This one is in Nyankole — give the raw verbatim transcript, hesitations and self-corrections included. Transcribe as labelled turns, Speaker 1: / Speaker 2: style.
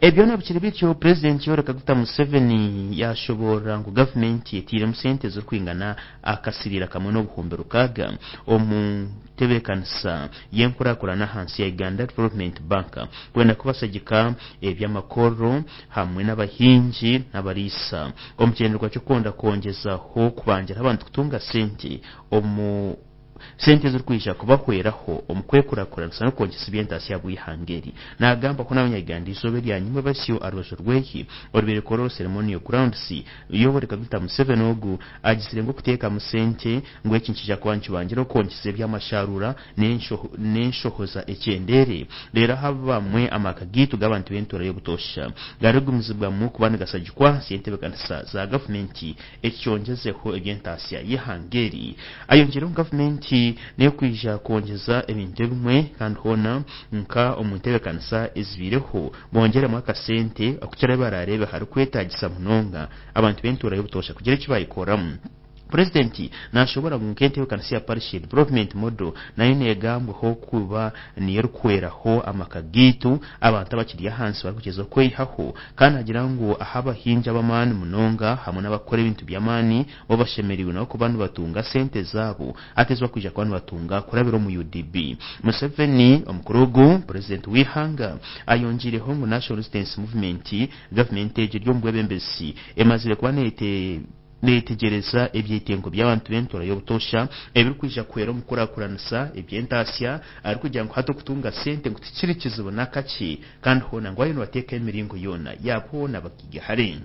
Speaker 1: Ebyona bikiri bityo, Purezidenti Yoweri Kaguta Museveni yashoboorora ngu gavumenti etiiremu sente zirikwingana akasiriira kamwe n'obuhumbi rukaaga omu ntebeekanisa y'enkurakurana ahansi ya Uganda Development Bank kwenda kubashagika eby'amakorero hamwe n'abahingi n'abariisa omu kigyendererwa ky'okwenda kwongyezaho kubangira abantu kutunga sente omu sente ezirikwija kubahweraho omu kwekurakuranisa n'okwongyesa eby'entaasya bw'eihanga eri. Naagamba ku n'abanyayuganda eizooba eryanyima basyo aha rubaju rwehi orubaire Kololo Ceremonial Grounds. Yoweri Kaguta Museveni ogu agizire ngu okuteekamu sente ngu eki nikiija kuba nikibangira okwongyesa eby'amasharuura n'enshohoza ekyendeere, reero aha bamwe amaka gaitu g'abantu b'entuura y'obutoosha garigumizibwamu kuba nigasagikwa ahansi y'entebeekanisa za gavumenti, eki kyongyezeho eby'entaasya y'eihanga eri. Ayongyeireho ngu gavumenti n'ekwija kwongyeza ebintu ebimwe kandi hoona nka omu ntebeekanisa ezibaireho bongyeremu akasente okukira ebi baraareebe harikwetaagisa munonga abantu b'entuura y'obutoosha kugira eki baayikoramu. Purezidenti nashoboora ngu nk'entebeekanisa ya Parish Development Model nayo neegambwaho kuba niyo erikuhweraho amaka gaitu abantu abakiri ahansi barikugyezaho kweyihaho, kandi naagira ngu ahu abahingi ab'amaani munonga hamwe n'abakukora ebintu by'amaani bo bashemereirwe nabo kuba nibatunga sente zaabo hati ezi bakwija kuba nibatunga kurabira omu U D B. Museveni omukuru ogu purezidenti w'eihanga ayongiireho ngu National Resistance Movement, gavumenti egyo eri omu bwebembezi, emazire kuba neete neetegyereza ebyetengo by'abantu b'entuura y'obutoosha ebirikwija kuhwera omu kukurakuranisa eby'entaasya, arikugira ngu hati okutunga sente ngu tikiri kizibu n'akakye, kandi hoona ngu bariyo nibateekaho emiringo yoona yaaba hoona bakigahare.